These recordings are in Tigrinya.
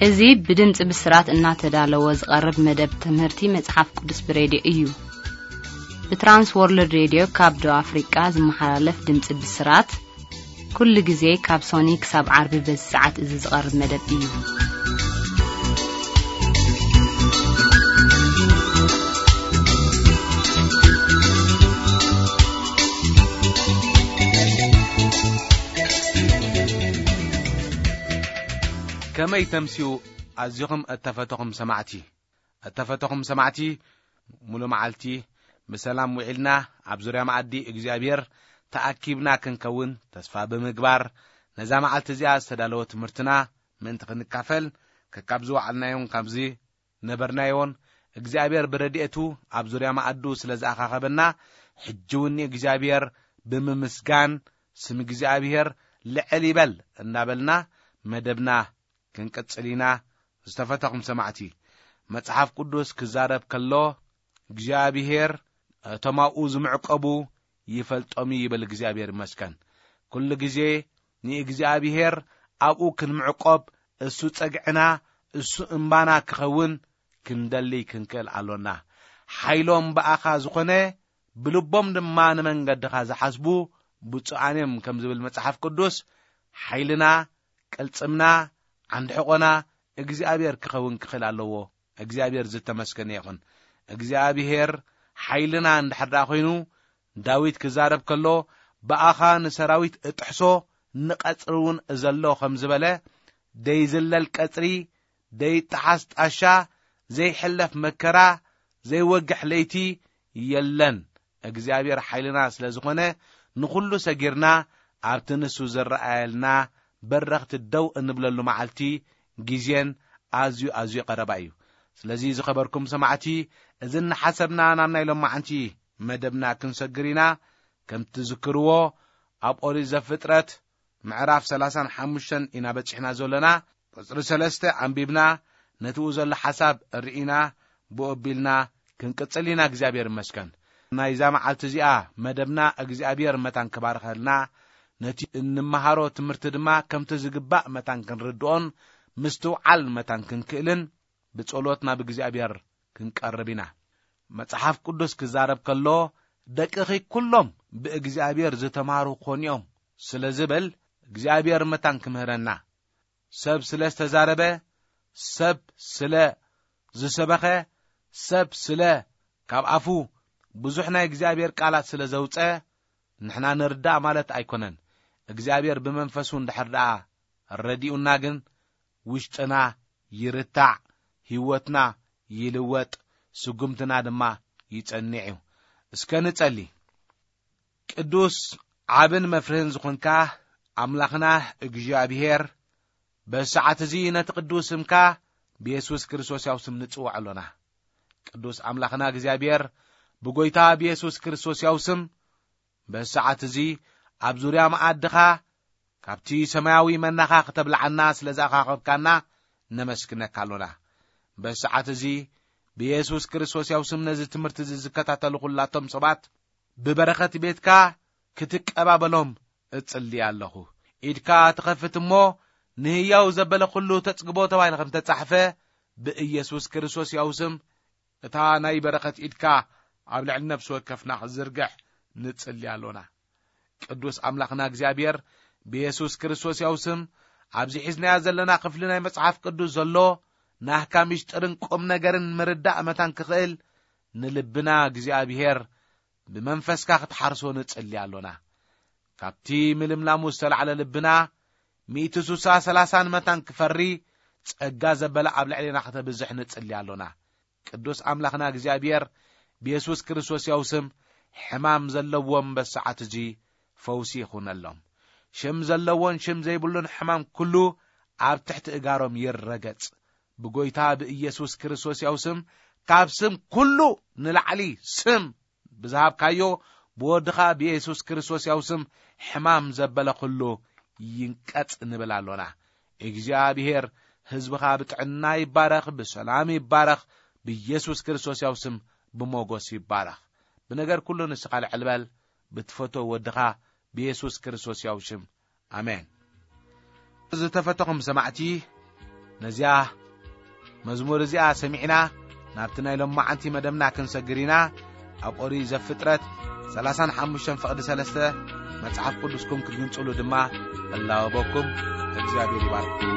እዚ ብድምፂ ብስራት እናተዳለወ ዝቐርብ መደብ ትምህርቲ መጽሓፍ ቅዱስ ብሬድዮ እዩ። ብትራንስ ወርልድ ሬድዮ ካብ ደቡብ ኣፍሪቃ ዝመሓላለፍ ድምፂ ብስራት፣ ኩሉ ግዜ ካብ ሶኒ ክሳብ ዓርቢ በዚ ሰዓት እዚ ዝቐርብ መደብ እዩ። ከመይ ተምስዩ ኣዚኹም እተፈተኹም ሰማዕቲ? እተፈተኹም ሰማዕቲ፣ ሙሉ መዓልቲ ብሰላም ውዒልና ኣብ ዙርያ መኣዲ እግዚኣብሔር ተኣኪብና ክንከውን ተስፋ ብምግባር፣ ነዛ መዓልቲ እዚኣ ዝተዳለወ ትምህርትና ምእንቲ ክንካፈል፣ ከካብ ዝወዓልናዮን ካብዚ ነበርናዮን እግዚኣብሔር ብረድኤቱ ኣብ ዙርያ መኣዱ ስለ ዝኣኻኸበና፣ ሕጂ እውን ንእግዚኣብሔር ብምምስጋን፣ ስም እግዚኣብሔር ልዕል ይበል እንዳበልና መደብና ክንቅጽል ኢና። ዝተፈተኹም ሰማዕቲ፣ መጽሓፍ ቅዱስ ክዛረብ ከሎ፣ እግዚኣብሔር እቶም ኣብኡ ዝምዕቀቡ ይፈልጦም እዩ ይብል። እግዚኣብሔር ይመስገን። ኩሉ ግዜ ንእግዚኣብሔር ኣብኡ ክንምዕቆብ፣ እሱ ጸግዕና፣ እሱ እምባና ክኸውን ክንደሊ ክንክእል ኣሎና። ሓይሎም ብኣኻ ዝኾነ፣ ብልቦም ድማ ንመንገድኻ ዝሓስቡ ብፁዓን እዮም ከም ዝብል መጽሓፍ ቅዱስ፣ ሓይልና፣ ቅልጽምና፣ ዓንዲ ሕቖና እግዚኣብሔር ክኸውን ክኽእል ኣለዎ። እግዚኣብሔር ዝተመስገነ ይኹን። እግዚኣብሔር ሓይልና እንድሕር ደኣ ኮይኑ፣ ዳዊት ክዛረብ ከሎ፣ ብኣኻ ንሰራዊት እጥሕሶ፣ ንቐጽሪ እውን እዘሎ ከም ዝበለ፣ ደይዝለል ቀጽሪ፣ ደይጠሓስ ጣሻ፣ ዘይሕለፍ መከራ፣ ዘይወግሕ ለይቲ የለን። እግዚኣብሔር ሓይልና ስለ ዝኾነ፣ ንኹሉ ሰጊርና ኣብቲ ንሱ ዝረኣየልና በረኽቲ ደው እንብለሉ መዓልቲ ግዜን ኣዝዩ ኣዝዩ ቀረባ እዩ። ስለዚ ዝኸበርኩም ሰማዕቲ፣ እዚ እናሓሰብና ናብ ናይ ሎማዓንቲ መደብና ክንሰግር ኢና። ከም ትዝክርዎ፣ ኣብ ኦሪት ዘፍጥረት ምዕራፍ ሰላሳን ሓሙሽተን ኢና በጺሕና ዘሎና። ቁጽሪ ሰለስተ ኣንቢብና፣ ነቲኡ ዘሎ ሓሳብ ርኢና፣ ብኡ ኣቢልና ክንቅጽል ኢና። እግዚኣብሔር ይመስገን። ናይዛ መዓልቲ እዚኣ መደብና እግዚኣብሔር መታን ክባርኸልና፣ ነቲ እንመሃሮ ትምህርቲ ድማ ከምቲ ዝግባእ መታን ክንርድኦን ምስትውዓል መታን ክንክእልን ብጸሎት ናብ እግዚኣብሔር ክንቀርብ ኢና። መጽሓፍ ቅዱስ ክዛረብ ከሎ፣ "ደቅኺ ኩሎም ብእግዚኣብሔር ዝተማህሩ ክኾኑ እዮም" ስለ ዝብል፣ እግዚኣብሔር መታን ክምህረና፣ ሰብ ስለ ዝተዛረበ፣ ሰብ ስለ ዝሰበኸ፣ ሰብ ስለ ካብ ኣፉ ብዙሕ ናይ እግዚኣብሔር ቃላት ስለ ዘውጸ፣ ንሕና ንርዳእ ማለት ኣይኮነን። እግዚኣብሔር ብመንፈሱ እንድሕር ደኣ ረዲኡና ግን፣ ውሽጥና ይርታዕ፣ ህይወትና ይልወጥ፣ ስጉምትና ድማ ይጸንዕ እዩ። እስከ ንጸሊ። ቅዱስ ዓብን መፍርህን ዝኾንካ ኣምላኽና እግዚኣብሔር፣ በዚ ሰዓት እዚ ነቲ ቅዱስ ስምካ ብየሱስ ክርስቶስ ያው ስም ንጽውዕ ኣሎና። ቅዱስ ኣምላኽና እግዚኣብሔር፣ ብጎይታ ብየሱስ ክርስቶስ ያው ስም በዚ ሰዓት እዚ ኣብ ዙርያ መኣድኻ ካብቲ ሰማያዊ መናኻ ክተብልዓና ስለ ዝኣኻኸብካና ነመስግነካ ኣሎና። በዚ ሰዓት እዚ ብየሱስ ክርስቶስ ያው ስም ነዚ ትምህርቲ እዚ ዝከታተሉ ኩላቶም ሰባት ብበረኸት ቤትካ ክትቀባበሎም እጽሊ ኣለኹ። ኢድካ ትኸፍት እሞ ንህያው ዘበለ ኩሉ ተጽግቦ ተባሂሉ ከም ተጻሕፈ ብኢየሱስ ክርስቶስ ያው ስም እታ ናይ በረኸት ኢድካ ኣብ ልዕሊ ነፍሲ ወከፍና ክትዝርግሕ ንጽሊ ኣሎና። ቅዱስ ኣምላኽና እግዚኣብሔር ብየሱስ ክርስቶስ ያው ስም ኣብዚ ሒዝናዮ ዘለና ክፍሊ ናይ መጽሓፍ ቅዱስ ዘሎ ናህካ ምስጢርን ቁም ነገርን ምርዳእ መታን ክኽእል ንልብና እግዚኣብሔር ብመንፈስካ ክትሓርሶ ንጽሊ ኣሎና። ካብቲ ምልምላሙ ዝተላዕለ ልብና ሚእቲ ሱሳ ሰላሳን መታን ክፈሪ ጸጋ ዘበለ ኣብ ልዕሌና ከተብዝሕ ንጽሊ ኣሎና። ቅዱስ ኣምላኽና እግዚኣብሔር ብየሱስ ክርስቶስ ያው ስም ሕማም ዘለዎም በሰዓት እዚ ፈውሲ ይኹነሎም። ሽም ዘለዎን ሽም ዘይብሉን ሕማም ኩሉ ኣብ ትሕቲ እጋሮም ይረገጽ። ብጎይታ ብኢየሱስ ክርስቶስ ያው ስም ካብ ስም ኩሉ ንላዕሊ ስም ብዝሃብካዮ ብወድኻ ብየሱስ ክርስቶስ ያው ስም ሕማም ዘበለ ኩሉ ይንቀጽ ንብል ኣሎና። እግዚኣብሔር ህዝብኻ ብጥዕና ይባረኽ፣ ብሰላም ይባረኽ፣ ብኢየሱስ ክርስቶስ ያው ስም ብሞጎስ ይባረኽ። ብነገር ኩሉ ንስኻ ልዕል በል፣ ብትፈቶ ወድኻ ብየሱስ ክርስቶስ ያው ሽም። ኣሜን። ዝተፈተኹም ሰማዕቲ፣ ነዚኣ መዝሙር እዚኣ ሰሚዕና ናብቲ ናይ ሎማዓንቲ መደብና ክንሰግር ኢና። ኣብ ኦሪት ዘፍጥረት ሰላሳን ሓሙሽተን ፍቕዲ ሰለስተ መጽሓፍ ቅዱስኩም ክትግንጽሉ ድማ እላወበኩም። እግዚኣብሔር ይባርኩም።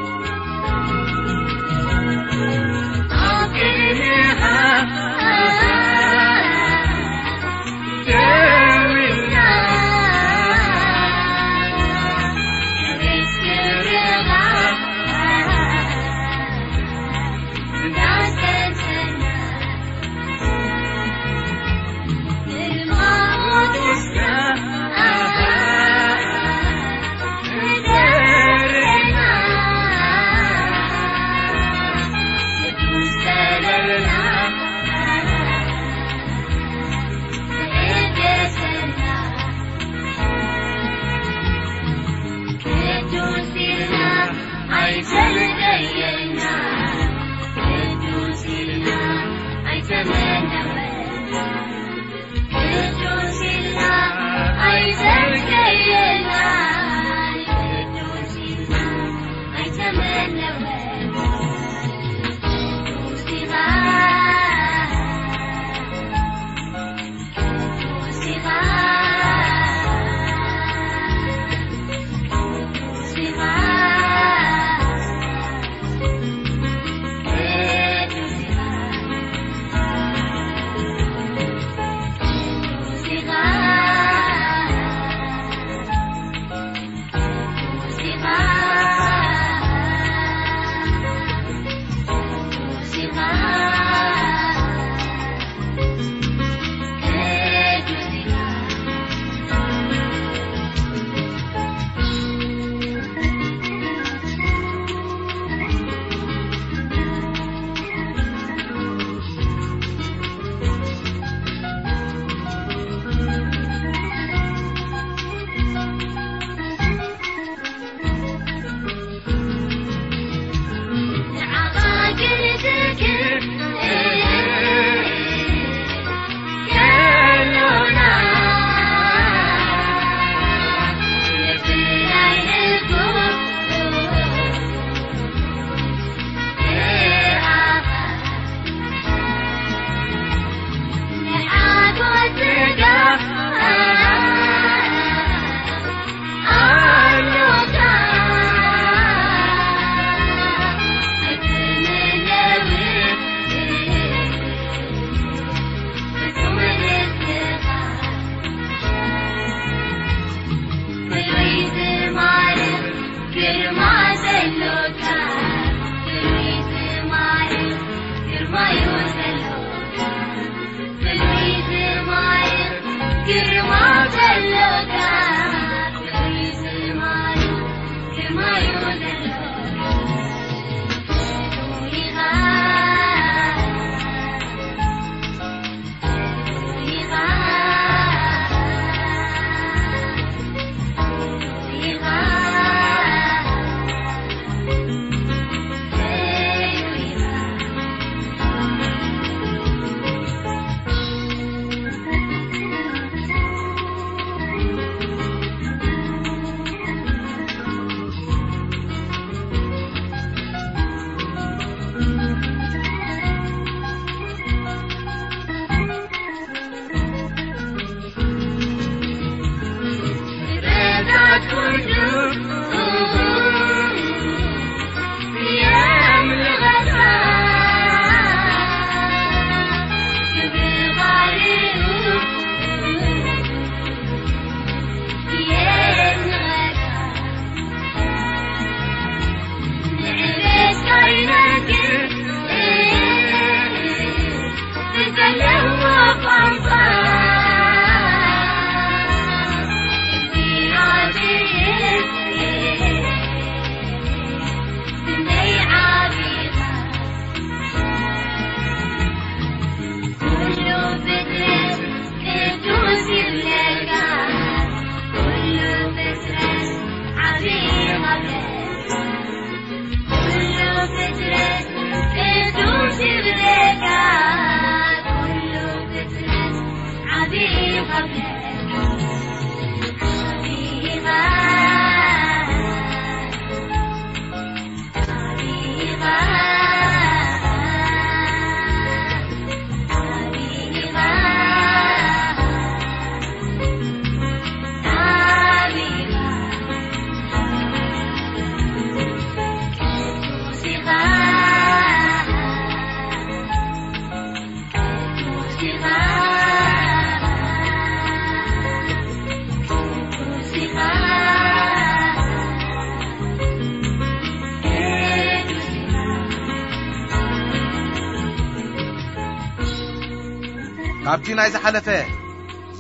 ካብቲ ናይ ዝሓለፈ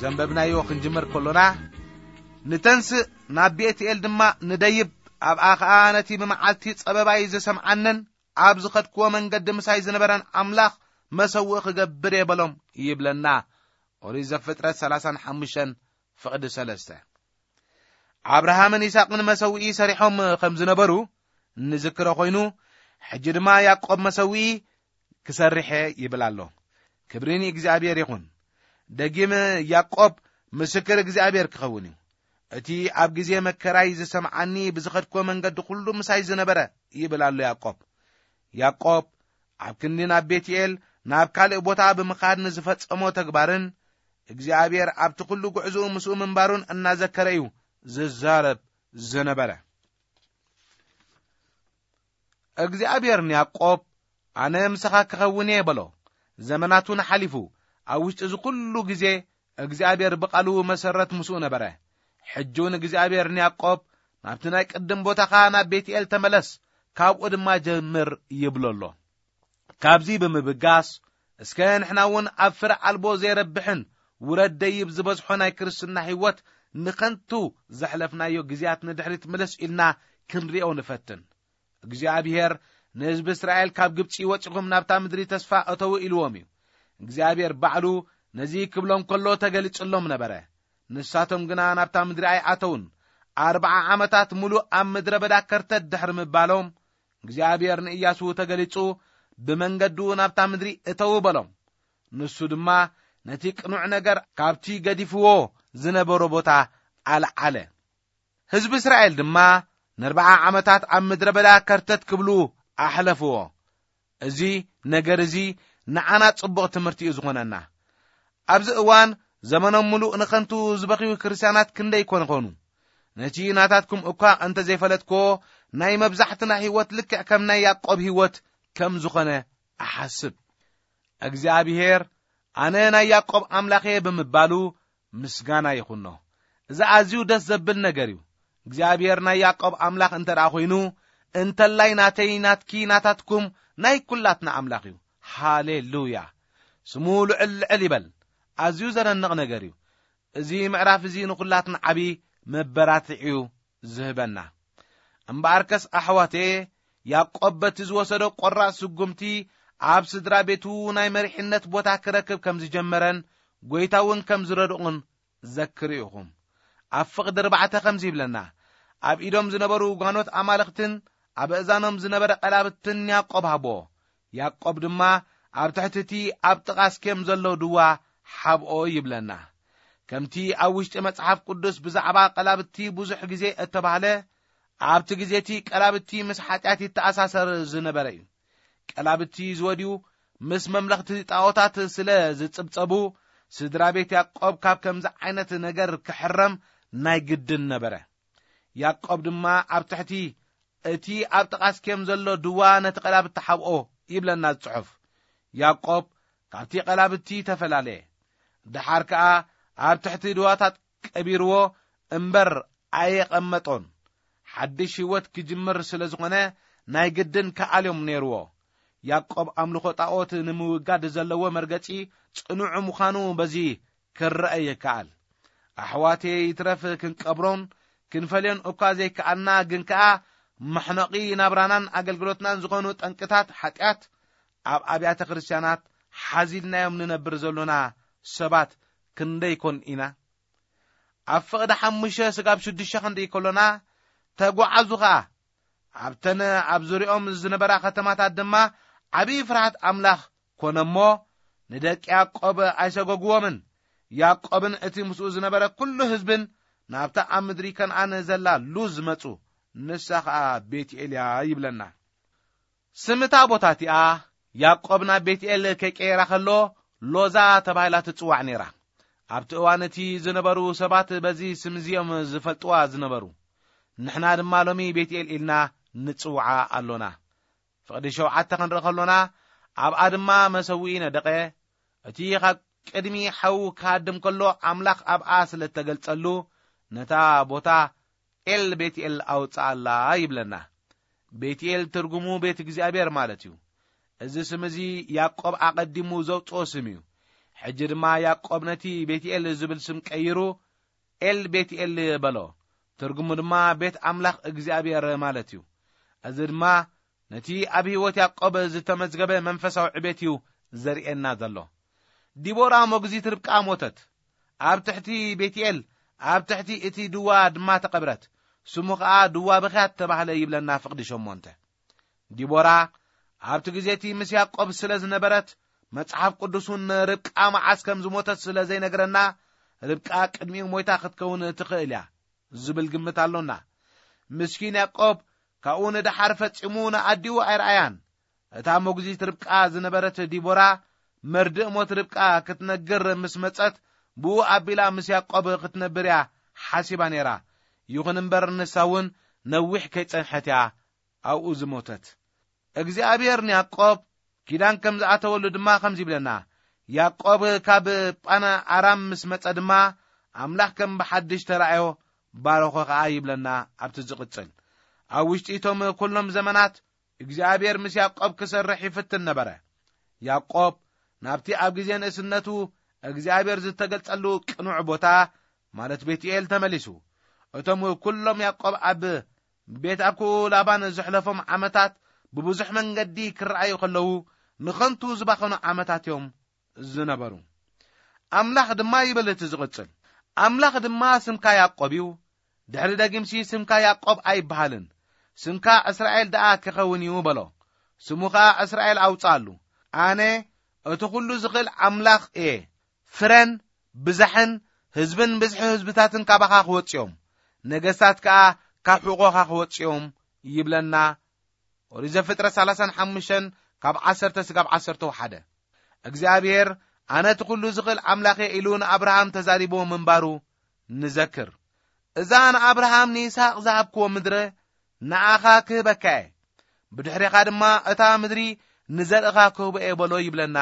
ዘንበብናዮ ክንጅምር ከሎና፣ ንተንስእ ናብ ቤትኤል ድማ ንደይብ፣ ኣብኣ ኸኣ ነቲ ብመዓልቲ ጸበባይ ዝሰምዓንን ኣብ ዝኸድክዎ መንገዲ ምሳይ ዝነበረን ኣምላኽ መሰውእ ክገብር እየ በሎም ይብለና። ኦሪት ዘፍጥረት ሰላሳን ሓሙሽተን ፍቕዲ ሰለስተ። ኣብርሃምን ይስሐቅን መሰውኢ ሰሪሖም ከም ዝነበሩ እንዝክሮ ኮይኑ፣ ሕጂ ድማ ያዕቆብ መሰውኢ ክሰርሕ እየ ይብል ኣሎ። ክብሪ ንእግዚኣብሔር ይኹን። ደጊም ያዕቆብ ምስክር እግዚኣብሔር ክኸውን እዩ። እቲ ኣብ ግዜ መከራይ ዝሰምዓኒ ብዝኸድክዎ መንገዲ ኩሉ ምሳይ ዝነበረ ይብል ኣሎ ያዕቆብ። ያዕቆብ ኣብ ክንዲ ናብ ቤትኤል ናብ ካልእ ቦታ ብምኻድ ንዝፈጸሞ ተግባርን እግዚኣብሔር ኣብቲ ኩሉ ጉዕዝኡ ምስኡ ምንባሩን እናዘከረ እዩ ዝዛረብ ዝነበረ። እግዚኣብሔር ንያዕቆብ፣ "ኣነ ምሳኻ ክኸውን እየ" በሎ። ዘመናት እውን ሓሊፉ፣ ኣብ ውሽጢ እዚ ኩሉ ግዜ እግዚኣብሔር ብቓሉ መሰረት ምስኡ ነበረ። ሕጂ እውን እግዚኣብሔር ንያዕቆብ፣ "ናብቲ ናይ ቅድም ቦታኻ ናብ ቤትኤል ተመለስ፣ ካብኡ ድማ ጀምር" ይብሎ ኣሎ። ካብዚ ብምብጋስ፣ እስከ ንሕና እውን ኣብ ፍረ ኣልቦ ዘይረብሕን ውረድ ደይብ ዝበዝሖ ናይ ክርስትና ህይወት ንኸንቱ ዘሕለፍናዮ ግዜያት ንድሕሪት ምልስ ኢልና ክንሪኦ ንፈትን። እግዚኣብሔር ንህዝቢ እስራኤል፣ "ካብ ግብጺ ወጺኹም ናብታ ምድሪ ተስፋ እተዉ" ኢልዎም እዩ። እግዚኣብሔር ባዕሉ ነዚ ክብሎም ከሎ ተገሊጽሎም ነበረ። ንሳቶም ግና ናብታ ምድሪ ኣይኣተዉን። ኣርብዓ ዓመታት ሙሉእ ኣብ ምድረ በዳ ከርተት ድሕሪ ምባሎም፣ እግዚኣብሔር ንእያሱ ተገሊጹ፣ "ብመንገዱ ናብታ ምድሪ እተዉ" በሎም። ንሱ ድማ ነቲ ቅኑዕ ነገር ካብቲ ገዲፍዎ ዝነበሮ ቦታ ኣልዓለ። ህዝቢ እስራኤል ድማ ንኣርብዓ ዓመታት ኣብ ምድረ በዳ ከርተት ክብሉ ኣሕለፍዎ። እዚ ነገር እዚ ንዓና ጽቡቕ ትምህርቲ እዩ ዝኾነና። ኣብዚ እዋን ዘመኖም ምሉእ ንኸንቱ ዝበኽዩ ክርስትያናት ክንደይ ኮን ይኾኑ? ነቲ ናታትኩም እኳ እንተ ዘይፈለጥክዎ፣ ናይ መብዛሕትና ህይወት ልክዕ ከም ናይ ያዕቆብ ህይወት ከም ዝኾነ እሓስብ። እግዚኣብሔር፣ "ኣነ ናይ ያዕቆብ ኣምላኽ እየ" ብምባሉ ምስጋና ይኹኖ። እዚ ኣዝዩ ደስ ዘብል ነገር እዩ። እግዚኣብሔር ናይ ያዕቆብ ኣምላኽ እንተ ደኣ ኾይኑ፣ እንተላይ ናተይ፣ ናትኪ፣ ናታትኩም፣ ናይ ኩላትና ኣምላኽ እዩ። ሃሌሉያ! ስሙ ልዕል ልዕል ይበል። ኣዝዩ ዘደንቕ ነገር እዩ። እዚ ምዕራፍ እዚ ንኹላትና ዓቢ መበራትዒ እዩ ዝህበና። እምበኣርከስ ኣሕዋተየ፣ ያዕቆብ በቲ ዝወሰዶ ቆራጽ ስጉምቲ ኣብ ስድራ ቤቱ ናይ መሪሕነት ቦታ ክረክብ ከም ዝጀመረን ጐይታ እውን ከም ዝረድኡን ዘክሩ ኢኹም። ኣብ ፍቕዲ ኣርባዕተ ከምዚ ይብለና፣ "ኣብ ኢዶም ዝነበሩ ጓኖት ኣማልኽትን ኣብ ኣእዛኖም ዝነበረ ቀላብትን ያዕቆብ ሃቦ። ያዕቆብ ድማ ኣብ ትሕቲ እቲ ኣብ ጥቓ ስኬም ዘሎ ድዋ ሓብኦ" ይብለና። ከምቲ ኣብ ውሽጢ መጽሓፍ ቅዱስ ብዛዕባ ቀላብቲ ብዙሕ ግዜ እተባህለ፣ ኣብቲ ግዜ እቲ ቀላብቲ ምስ ሓጢኣት ይተኣሳሰር ዝነበረ እዩ። ቀላብቲ ዝወድዩ ምስ መምለኽቲ ጣዖታት ስለ ዝጽብጸቡ፣ ስድራ ቤት ያዕቆብ ካብ ከምዚ ዓይነት ነገር ክሕረም ናይ ግድን ነበረ። ያዕቆብ ድማ ኣብ ትሕቲ እቲ ኣብ ጥቓ ስኬም ዘሎ ድዋ ነቲ ቀላብቲ ሓብኦ ይብለና ጽሑፍ። ያዕቆብ ካብቲ ቀላብቲ ተፈላለየ። ደሓር ከኣ ኣብ ትሕቲ ድዋታት ቀቢርዎ እምበር ኣየቐመጦን። ሓድሽ ህይወት ክጅምር ስለ ዝኾነ ናይ ግድን ክኣልዮም ነይርዎ። ያዕቆብ ኣምልኾ ጣዖት ንምውጋድ ዘለዎ መርገጺ ጽኑዕ ምዃኑ በዚ ክረአ ይከኣል። ኣሕዋተይ፣ ይትረፍ ክንቀብሮን ክንፈልዮን እኳ ዘይከኣልና፣ ግን ከኣ መሕነቒ ናብራናን ኣገልግሎትናን ዝኾኑ ጠንቅታት ሓጢኣት ኣብ ኣብያተ ክርስትያናት ሓዚልናዮም ንነብር ዘሎና ሰባት ክንደይ ኮን ኢና? ኣብ ፍቕዲ ሓሙሽተ ስጋብ ሽዱሽተ ክንርኢ ከሎና፣ ተጓዓዙ ኸኣ። ኣብተን ኣብ ዙርያኦም ዝነበራ ከተማታት ድማ ዓብዪ ፍርሃት ኣምላኽ ኮነ እሞ፣ ንደቂ ያዕቆብ ኣይሰጎግዎምን። ያዕቆብን እቲ ምስኡ ዝነበረ ኩሉ ህዝብን ናብታ ኣብ ምድሪ ከነኣን ዘላ ሉዝ መጹ፣ ንሳ ኸኣ ቤትኤል እያ ይብለና። ስም እታ ቦታ እቲኣ ያዕቆብ ናብ ቤትኤል ከይቀየራ ከሎ ሎዛ ተባሂላ ትጽዋዕ ነይራ። ኣብቲ እዋን እቲ ዝነበሩ ሰባት በዚ ስም እዚኦም ዝፈልጥዋ ዝነበሩ። ንሕና ድማ ሎሚ ቤትኤል ኢልና ንጽውዓ ኣሎና። ፍቕዲ ሸውዓተ ክንርኢ ከሎና፣ ኣብኣ ድማ መሰውኢ ነደቐ። እቲ ካብ ቅድሚ ሓው ክሃድም ከሎ ኣምላኽ ኣብኣ ስለ እተገልጸሉ፣ ነታ ቦታ ኤል ቤትኤል ኣውጽኣላ ይብለና። ቤትኤል ትርጉሙ ቤት እግዚኣብሔር ማለት እዩ። እዚ ስም እዚ ያዕቆብ ኣቐዲሙ ዘውጽኦ ስም እዩ። ሕጂ ድማ ያዕቆብ ነቲ ቤትኤል ዝብል ስም ቀይሩ ኤል ቤትኤል በሎ። ትርጉሙ ድማ ቤት ኣምላኽ እግዚኣብሔር ማለት እዩ። እዚ ድማ ነቲ ኣብ ህይወት ያዕቆብ ዝተመዝገበ መንፈሳዊ ዕቤት እዩ ዘርእየና ዘሎ። ዲቦራ ሞግዚት ርብቃ ሞተት። ኣብ ትሕቲ ቤትኤል፣ ኣብ ትሕቲ እቲ ድዋ ድማ ተቐብረት። ስሙ ኸኣ ድዋ ብኽያት ተባህለ ይብለና ፍቕዲ ሸሞንተ። ዲቦራ ኣብቲ ግዜ እቲ ምስ ያዕቆብ ስለ ዝነበረት፣ መጽሓፍ ቅዱስ እውን ርብቃ መዓስ ከም ዝሞተት ስለ ዘይነግረና፣ ርብቃ ቅድሚኡ ሞይታ ክትከውን ትኽእል እያ ዝብል ግምት ኣሎና። ምስኪን ያዕቆብ ካብኡ ንደሓር ፈጺሙ ንኣዲኡ ኣይረኣያን። እታ ሞግዚት ርብቃ ዝነበረት ዲቦራ፣ መርድእ ሞት ርብቃ ክትነግር ምስ መጸት፣ ብኡ ኣቢላ ምስ ያዕቆብ ክትነብር እያ ሓሲባ ነይራ። ይኹን እምበር፣ ንሳ እውን ነዊሕ ከይጸንሐት እያ ኣብኡ ዝሞተት። እግዚኣብሔር ንያዕቆብ ኪዳን ከም ዝኣተወሉ ድማ ከምዚ ይብለና። ያዕቆብ ካብ ጳነ ኣራም ምስ መጸ ድማ፣ ኣምላኽ ከም ብሓድሽ ተራእዮ፣ ባረኾ ኸኣ ይብለና። ኣብቲ ዝቕጽል፣ ኣብ ውሽጢ እቶም ኩሎም ዘመናት እግዚኣብሔር ምስ ያዕቆብ ክሰርሕ ይፍትን ነበረ። ያዕቆብ ናብቲ ኣብ ግዜ ንእስነቱ እግዚኣብሔር ዝተገልጸሉ ቅኑዕ ቦታ፣ ማለት ቤትኤል ተመሊሱ። እቶም ኩሎም ያዕቆብ ኣብ ቤት ኣኩ ላባን ዘሕለፎም ዓመታት ብብዙሕ መንገዲ ክረኣዩ ከለዉ፣ ንኸንቱ ዝባኸኑ ዓመታት እዮም ዝነበሩ። ኣምላኽ ድማ ይብል እቲ ዝቕጽል፣ ኣምላኽ ድማ ስምካ ያዕቆብ እዩ፣ ድሕሪ ደጊምሲ ስምካ ያዕቆብ ኣይበሃልን፣ ስምካ እስራኤል ደኣ ክኸውን እዩ በሎ። ስሙ ኸኣ እስራኤል ኣውጽኣሉ። ኣነ እቲ ኹሉ ዝኽእል ኣምላኽ እየ። ፍረን ብዛሕን ህዝብን ብዝሒ ህዝብታትን ካባኻ ክወጽኦም፣ ነገስታት ከኣ ካብ ሕቖኻ ክወጽኦም ይብለና። ኦሪት ዘፍጥረት ሰላሳን ሓሙሽተን ካብ ዓሰርተ ስጋብ ዓሰርተ ሓደ። እግዚኣብሔር ኣነ እቲ ኹሉ ዝኽእል ኣምላኽ እየ ኢሉ ንኣብርሃም ተዛሪብዎ ምንባሩ ንዘክር። እዛ ንኣብርሃም ንይስሐቅ ዝሃብክዎ ምድሪ ንኣኻ ክህበካ እየ፣ ብድሕሬኻ ድማ እታ ምድሪ ንዘርእኻ ክህቦ እየ በሎ ይብለና።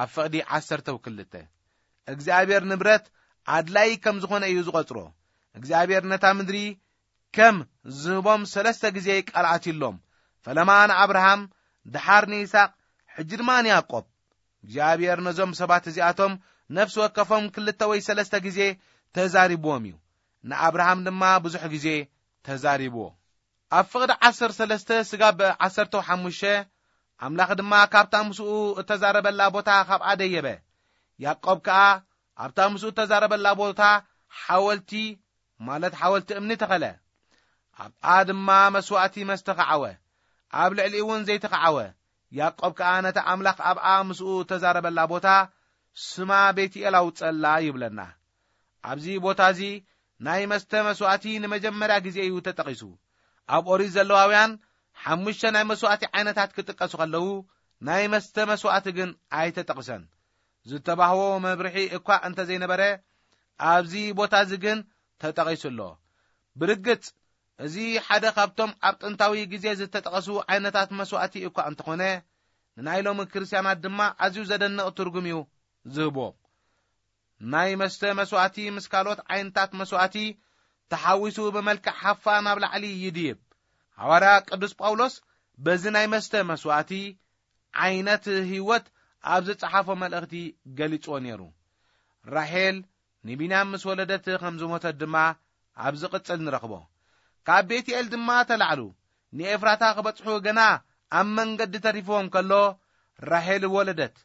ኣብ ፍቕዲ ዓሰርተ ክልተ። እግዚኣብሔር ንብረት ኣድላይ ከም ዝኾነ እዩ ዝቖጽሮ። እግዚኣብሔር ነታ ምድሪ ከም ዝህቦም ሰለስተ ግዜ ቃል ኣትዩሎም። ፈለማ ንኣብርሃም፣ ደሓር ንይስሐቅ፣ ሕጂ ድማ ንያዕቆብ። እግዚኣብሔር ነዞም ሰባት እዚኣቶም ነፍሲ ወከፎም ክልተ ወይ ሰለስተ ግዜ ተዛሪብዎም እዩ። ንኣብርሃም ድማ ብዙሕ ግዜ ተዛሪብዎ። ኣብ ፍቕዲ ዓሰርተ ሰለስተ ስጋብ ዓሰርተ ሓሙሽተ፣ ኣምላኽ ድማ ካብታ ምስኡ እተዛረበላ ቦታ ካብኣ ደየበ። ያዕቆብ ከኣ ኣብታ ምስኡ እተዛረበላ ቦታ ሓወልቲ፣ ማለት ሓወልቲ እምኒ ተኸለ። ኣብኣ ድማ መስዋእቲ መስተኸዓወ፣ ኣብ ልዕሊኡ እውን ዘይተኸዓወ። ያዕቆብ ከኣ ነታ ኣምላኽ ኣብኣ ምስኡ እተዛረበላ ቦታ ስማ ቤትኤል ኣውጸላ ይብለና። ኣብዚ ቦታ እዚ ናይ መስተ መስዋእቲ ንመጀመርያ ግዜ እዩ ተጠቒሱ። ኣብ ኦሪት ዘለዋውያን ሓሙሽተ ናይ መስዋእቲ ዓይነታት ክጥቀሱ ከለዉ፣ ናይ መስተ መስዋእቲ ግን ኣይተጠቕሰን። ዝተባህዎ መብርሒ እኳ እንተ ዘይነበረ፣ ኣብዚ ቦታ እዚ ግን ተጠቒሱ ኣሎ። ብርግጽ፣ እዚ ሓደ ካብቶም ኣብ ጥንታዊ ግዜ ዝተጠቐሱ ዓይነታት መስዋእቲ እኳ እንተኾነ፣ ንናይ ሎሚ ክርስትያናት ድማ ኣዝዩ ዘደንቕ ትርጉም እዩ ዝህብዎ። ናይ መስተ መስዋእቲ ምስ ካልኦት ዓይነታት መስዋእቲ ተሓዊሱ ብመልክዕ ሃፋ ናብ ላዕሊ ይድይብ። ሃዋርያ ቅዱስ ጳውሎስ በዚ ናይ መስተ መስዋእቲ ዓይነት ህይወት ኣብ ዝጸሓፎ መልእኽቲ ገሊጽዎ ነይሩ። ራሄል ንቢንያም ምስ ወለደት ከም ዝሞተት ድማ ኣብ ዝቕጽል ንረኽቦ። ካብ ቤትኤል ድማ ተላዕሉ ንኤፍራታ ክበጽሑ ገና ኣብ መንገዲ ተሪፍዎም ከሎ፣ ራሄል ወለደት።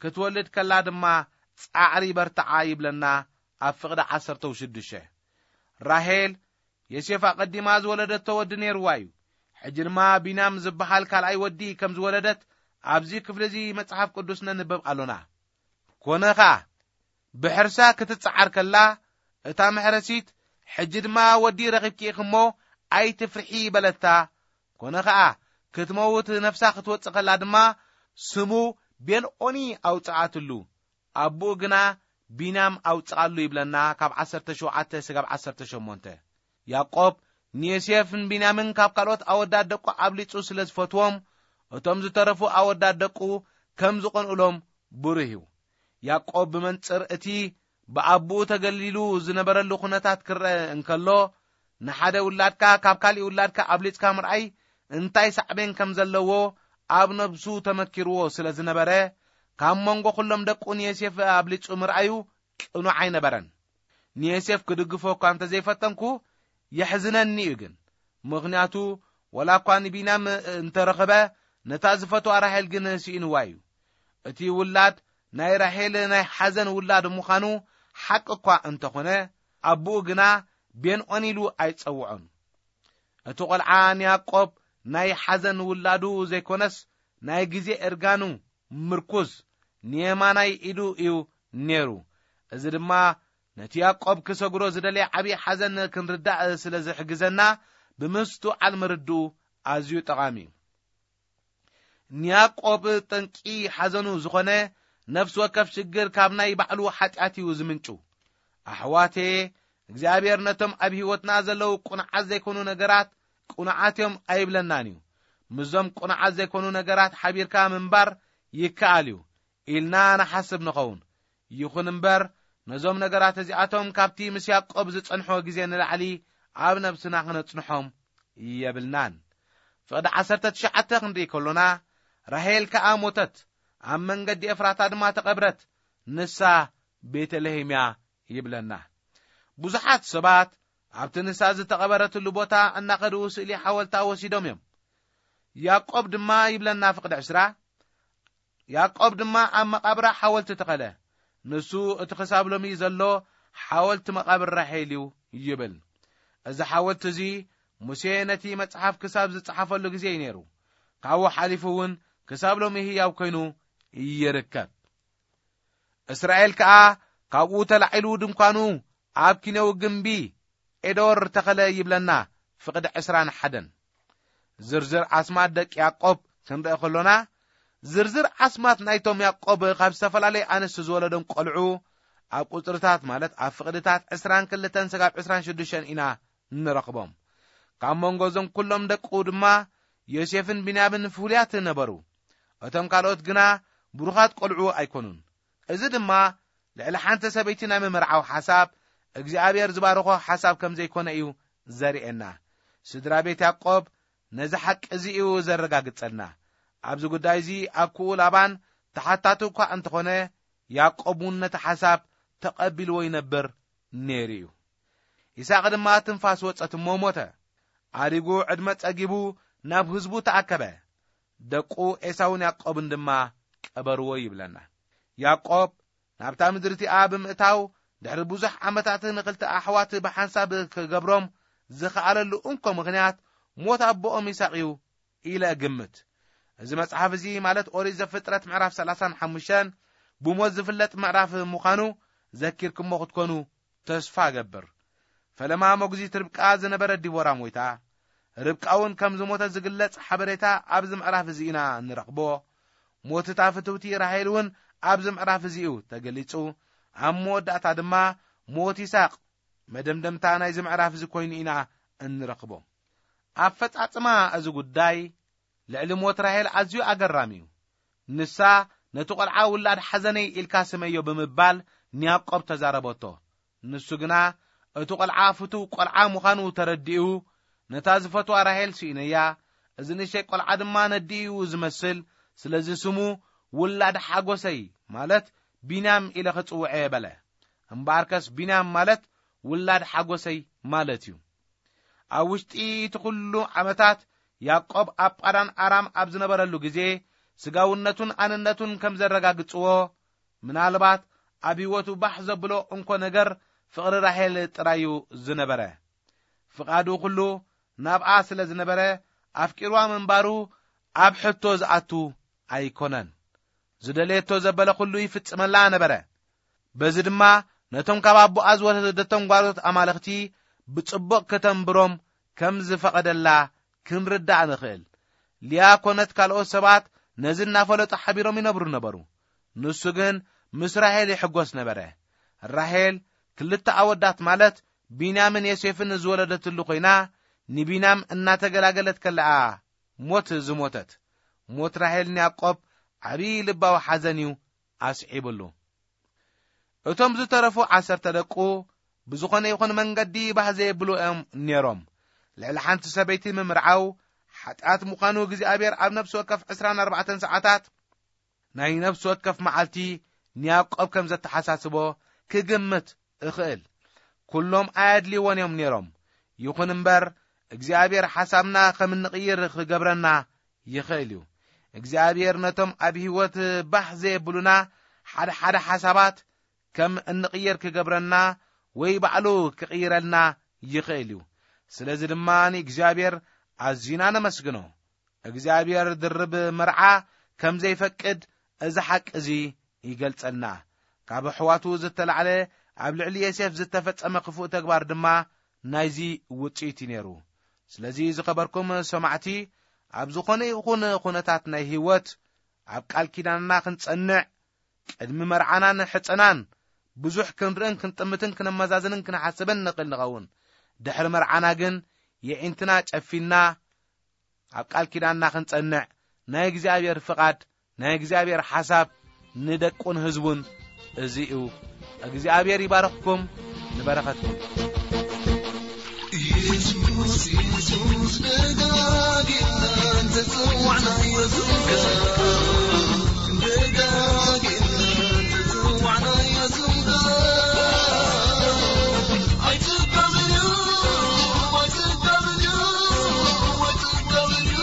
ክትወልድ ከላ ድማ ጻዕሪ በርትዓ ይብለና ኣብ ፍቕዲ ዓሰርተ ሽዱሽተ። ራሄል ዮሴፍ ኣቐዲማ ዝወለደቶ ወዲ ነይርዋ እዩ። ሕጂ ድማ ቢንያም ዝበሃል ካልኣይ ወዲ ከም ዝወለደት ኣብዚ ክፍሊ እዚ መጽሓፍ ቅዱስ ነንበብ ኣሎና። ኮነ ኸኣ፣ ብሕርሳ ክትጸዓር ከላ፣ እታ መሕረሲት፣ "ሕጂ ድማ ወዲ ረኺብኪ ኢኺ እሞ፣ ኣይትፍርሒ" በለታ። ኮነ ኸኣ፣ ክትመውት ነፍሳ ክትወጽእ ከላ ድማ፣ ስሙ ቤንኦኒ ኣውጽኣትሉ። ኣቦኡ ግና ቢንያም ኣውጽኣሉ ይብለና፣ ካብ ዓሰርተ ሸውዓተ ስጋብ ዓሰርተ ሸሞንተ። ያዕቆብ ንዮሴፍን ቢንያምን ካብ ካልኦት ኣወዳት ደቁ ኣብሊጹ ስለ ዝፈትዎም፣ እቶም ዝተረፉ ኣወዳት ደቁ ከም ዝቐንኡሎም ብሩህ እዩ። ያዕቆብ ብመንጽር እቲ ብኣቦኡ ተገሊሉ ዝነበረሉ ኩነታት ክረአ እንከሎ፣ ንሓደ ውላድካ ካብ ካሊእ ውላድካ ኣብሊጽካ ምርኣይ እንታይ ሳዕቤን ከም ዘለዎ ኣብ ነብሱ ተመኪርዎ ስለ ዝነበረ፣ ካብ መንጎ ኩሎም ደቁ ንዮሴፍ ኣብሊጹ ምርኣዩ ቅኑዕ ኣይነበረን። ንዮሴፍ ክድግፎ እኳ እንተዘይፈተንኩ፣ የሕዝነኒ እዩ ግን። ምኽንያቱ፣ ወላ እኳ ንቢንያም እንተረኸበ፣ ነታ ዝፈትዋ ራሄል ግን ስኢንዋ እዩ። እቲ ውላድ ናይ ራሄል ናይ ሓዘን ውላድ ምዃኑ ሓቂ እኳ እንተኾነ፣ ኣቦኡ ግና ቤንኦን ኢሉ ኣይጸውዖን። እቲ ቖልዓ ንያዕቆብ ናይ ሓዘን ውላዱ ዘይኮነስ፣ ናይ ግዜ እርጋኑ ምርኩዝ ንየማናይ ኢዱ እዩ ነይሩ። እዚ ድማ ነቲ ያዕቆብ ክሰግሮ ዝደለየ ዓብዪ ሓዘን ክንርዳእ ስለ ዝሕግዘና፣ ብምስትውዓል ምርድኡ ኣዝዩ ጠቓሚ እዩ። ንያዕቆብ ጠንቂ ሓዘኑ ዝኾነ ነፍሲ ወከፍ ሽግር ካብ ናይ ባዕሉ ሓጢኣት እዩ ዝምንጩ። ኣሕዋቴ፣ እግዚኣብሔር ነቶም ኣብ ህይወትና ዘለዉ ቅኑዓት ዘይኮኑ ነገራት ቅኑዓት እዮም ኣይብለናን እዩ። ምስዞም ቅኑዓት ዘይኮኑ ነገራት ሓቢርካ ምንባር ይከኣል እዩ ኢልና ንሓስብ ንኸውን። ይኹን እምበር፣ ነዞም ነገራት እዚኣቶም ካብቲ ምስ ያዕቆብ ዝጸንሖ ግዜ ንላዕሊ ኣብ ነብስና ክነጽንሖም የብልናን። ፍቕዲ ዓሰርተ ትሽዓተ ክንርኢ ከሎና፣ ራሄል ከኣ ሞተት፣ ኣብ መንገዲ ኤፍራታ ድማ ተቐብረት፣ ንሳ ቤተልሔም እያ ይብለና። ብዙሓት ሰባት ኣብቲ ንሳ ዝተቐበረትሉ ቦታ እናኸዱ ስእሊ ሓወልታ ወሲዶም እዮም። ያዕቆብ ድማ ይብለና ፍቕዲ ዕስራ፣ ያዕቆብ ድማ ኣብ መቓብራ ሓወልቲ ተኸለ። ንሱ እቲ ክሳብ ሎሚ ዘሎ ሓወልቲ መቓብር ራሄል እዩ ይብል። እዚ ሓወልቲ እዚ ሙሴ ነቲ መጽሓፍ ክሳብ ዝጸሓፈሉ ግዜ እዩ ነይሩ። ካብኡ ሓሊፉ እውን ክሳብ ሎሚ ህያው ኮይኑ ይርከብ። እስራኤል ከኣ ካብኡ ተላዒሉ ድንኳኑ ኣብ ኪነው ግምቢ ኤዶር ተኸለ ይብለና ፍቕዲ ዕስራን ሓደን። ዝርዝር ኣስማት ደቂ ያዕቆብ ክንርኢ ከሎና፣ ዝርዝር ኣስማት ናይቶም ያዕቆብ ካብ ዝተፈላለየ ኣንስቲ ዝወለዶም ቆልዑ ኣብ ቁጽርታት፣ ማለት ኣብ ፍቕድታት ዕስራን ክልተን ስጋብ ዕስራን ሽዱሽተን ኢና ንረኽቦም። ካብ መንጎ እዞም ኩሎም ደቁ ድማ ዮሴፍን ቢንያምን ፍሉያት ነበሩ። እቶም ካልኦት ግና ብሩኻት ቆልዑ ኣይኮኑን። እዚ ድማ ልዕሊ ሓንቲ ሰበይቲ ናይ ምምርዓው ሓሳብ፣ እግዚኣብሔር ዝባረኾ ሓሳብ ከም ዘይኮነ እዩ ዘርእየና። ስድራ ቤት ያዕቆብ ነዚ ሓቂ እዚ እዩ ዘረጋግጸልና። ኣብዚ ጉዳይ እዚ ኣኩኡ ላባን ተሓታቱ እኳ እንተኾነ፣ ያዕቆብ እውን ነቲ ሓሳብ ተቐቢልዎ ይነብር ነይሩ እዩ። ይስሐቅ ድማ ትንፋስ ወጸት እሞ ሞተ። ኣዲጉ ዕድመ ጸጊቡ ናብ ህዝቡ ተኣከበ። ደቁ ኤሳውን ያዕቆብን ድማ ቀበርዎ ይብለና። ያዕቆብ ናብታ ምድሪ እቲኣ ብምእታው፣ ድሕሪ ብዙሕ ዓመታት ንኽልተ ኣሕዋት ብሓንሳብ ክገብሮም ዝኸኣለሉ እንኮ ምኽንያት ሞት ኣቦኦም ይስሐቅ እዩ ኢለ እግምት። እዚ መጽሓፍ እዚ፣ ማለት ኦሪት ዘፍጥረት ምዕራፍ ሰላሳን ሓሙሽተን ብሞት ዝፍለጥ ምዕራፍ ምዃኑ ዘኪርኩሞ ክትኮኑ ተስፋ እገብር። ፈለማ መጉዚት ርብቃ ዝነበረት ዲቦራ ሞይታ፣ ርብቃ እውን ከም ዝሞተት ዝግለጽ ሓበሬታ ኣብዚ ምዕራፍ እዚ ኢና እንረኽቦ። ሞት እታ ፍትውቲ ራሄል እውን ኣብዚ ምዕራፍ እዚ እዩ ተገሊጹ። ኣብ መወዳእታ ድማ ሞት ይስሐቅ መደምደምታ ናይዚ ምዕራፍ እዚ ኮይኑ ኢና እንረኽቦ። ኣፈጻጽማ እዚ ጉዳይ ልዕሊ ሞት ራሄል ኣዝዩ ኣገራሚ እዩ። ንሳ፣ "ነቲ ቆልዓ ውላድ ሓዘነይ ኢልካ ስመዮ" ብምባል ንያዕቆብ ተዛረበቶ። ንሱ ግና፣ እቲ ቆልዓ ፍቱው ቆልዓ ምዃኑ ተረዲኡ፣ ነታ ዝፈትዋ ራሄል ስኢነያ፣ እዚ ንእሽተይ ቆልዓ ድማ ነዲኡ እዩ ዝመስል፣ ስለዚ ስሙ ውላድ ሓጎሰይ፣ ማለት ቢንያም ኢለ ክጽውዐ እየ በለ። እምበኣርከስ ቢንያም ማለት ውላድ ሓጎሰይ ማለት እዩ። ኣብ ውሽጢ እቲ ኩሉ ዓመታት ያዕቆብ ኣብ ጳዳን ኣራም ኣብ ዝነበረሉ ግዜ፣ ስጋውነቱን ኣንነቱን ከም ዘረጋግጽዎ፣ ምናልባት ኣብ ህይወቱ ባሕ ዘብሎ እንኮ ነገር ፍቕሪ ራሄል ጥራይ እዩ ዝነበረ። ፍቓዱ ኩሉ ናብኣ ስለ ዝነበረ፣ ኣፍቂርዋ ምንባሩ ኣብ ሕቶ ዝኣቱ ኣይኮነን። ዝደለየቶ ዘበለ ኩሉ ይፍጽመላ ነበረ። በዚ ድማ ነቶም ካብ ኣቦኣ ዝወሰደቶም ጓልቶት ኣማልኽቲ ብጽቡቕ ከተንብሮም ከም ዝፈቐደላ ክንርዳእ ንኽእል። ሊያ ኮነት ካልኦት ሰባት ነዚ እናፈለጡ ሓቢሮም ይነብሩ ነበሩ። ንሱ ግን ምስ ራሄል ይሕጎስ ነበረ። ራሄል ክልተ ኣወዳት፣ ማለት ቢንያምን ዮሴፍን ዝወለደትሉ ኮይና፣ ንቢንያም እናተገላገለት ከለኣ ሞት ዝሞተት። ሞት ራሄል ንያዕቆብ ዓብዪ ልባዊ ሓዘን እዩ ኣስዒብሉ። እቶም ዝተረፉ ዓሰርተ ደቁ ብዝኾነ ይኹን መንገዲ ባህ ዘየብሉ እዮም ነይሮም። ልዕሊ ሓንቲ ሰበይቲ ምምርዓው ሓጢኣት ምዃኑ እግዚኣብሔር ኣብ ነፍሲ ወከፍ ዕስራን ኣርባዕተን ሰዓታት ናይ ነፍሲ ወከፍ መዓልቲ ንያዕቆብ ከም ዘተሓሳስቦ ክግምት እኽእል። ኩሎም ኣየድልይዎን እዮም ነይሮም። ይኹን እምበር፣ እግዚኣብሔር ሓሳብና ከም እንቕይር ክገብረና ይኽእል እዩ። እግዚኣብሔር ነቶም ኣብ ህይወት ባህ ዘየብሉና ሓደ ሓደ ሓሳባት ከም እንቕየር ክገብረና ወይ ባዕሉ ክቕይረልና ይኽእል እዩ። ስለዚ ድማ ንእግዚኣብሔር ኣዚና ነመስግኖ። እግዚኣብሔር ድርብ መርዓ ከም ዘይፈቅድ እዚ ሓቂ እዚ ይገልጸልና። ካብ ኣሕዋቱ ዝተላዕለ ኣብ ልዕሊ ዮሴፍ ዝተፈጸመ ክፉእ ተግባር ድማ ናይዚ ውጽኢት እዩ ነይሩ። ስለዚ ዝኸበርኩም ሰማዕቲ፣ ኣብ ዝኾነ ይኹን ኩነታት ናይ ህይወት ኣብ ቃል ኪዳንና ክንጸንዕ፣ ቅድሚ መርዓናን ሕጸናን ብዙሕ ክንርእን ክንጥምትን ክነመዛዝንን ክንሓስብን ንኽእል ንኸውን። ድሕሪ መርዓና ግን የዒንትና ጨፊንና ኣብ ቃል ኪዳንና ክንጸንዕ ናይ እግዚኣብሔር ፍቓድ፣ ናይ እግዚኣብሔር ሓሳብ ንደቁን ህዝቡን እዚ እዩ። እግዚኣብሔር ይባርኽኩም፣ ንበረኸትኩም። ኢየሱስ፣ ኢየሱስ፣ ደጋጊምና እንተጸዋዕናዮ ስምካ፣ ደጋጊምና እንተጸዋዕናዮ ስምካ፣ ኣይትቀብልዩ፣ ኣይትቀብልዩ፣ ኣይትቀብልዩ፣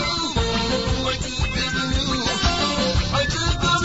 ኣይትቀብልዩ።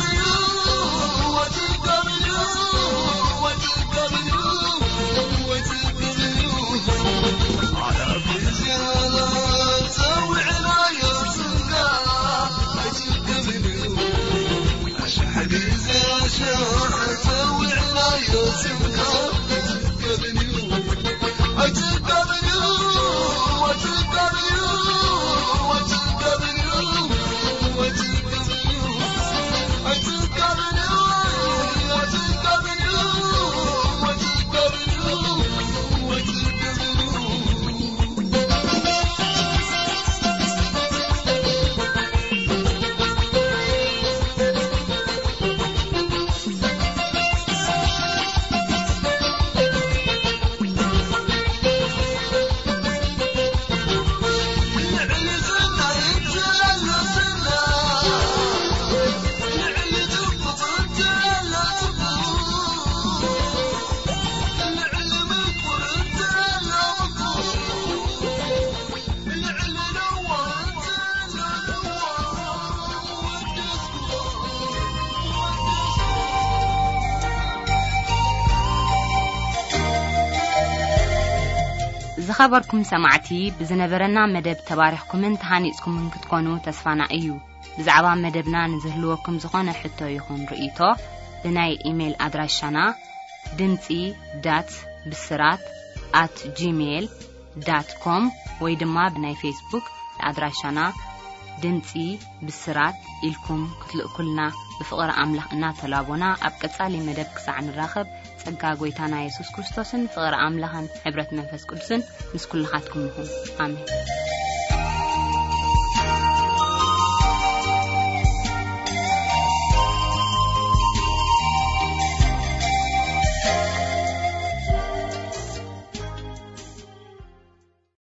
ዝኸበርኩም ሰማዕቲ፣ ብዝነበረና መደብ ተባሪኽኩምን ተሃኒጽኩምን ክትኮኑ ተስፋና እዩ። ብዛዕባ መደብና ንዝህልወኩም ዝኾነ ሕቶ ይኹን ርእይቶ፣ ብናይ ኢሜይል ኣድራሻና ድምጺ ዳት ብስራት ኣት ጂሜይል ዳት ኮም ወይ ድማ ብናይ ፌስቡክ ኣድራሻና ድምጺ ብስራት ኢልኩም ክትልእኩልና ብፍቕሪ ኣምላኽ እናተላቦና፣ ኣብ ቀጻሊ መደብ ክሳዕ ንራኸብ፣ ጸጋ ጐይታና የሱስ ክርስቶስን ፍቕሪ ኣምላኽን ሕብረት መንፈስ ቅዱስን ምስ ኩልኻትኩም ይኹን። ኣሜን።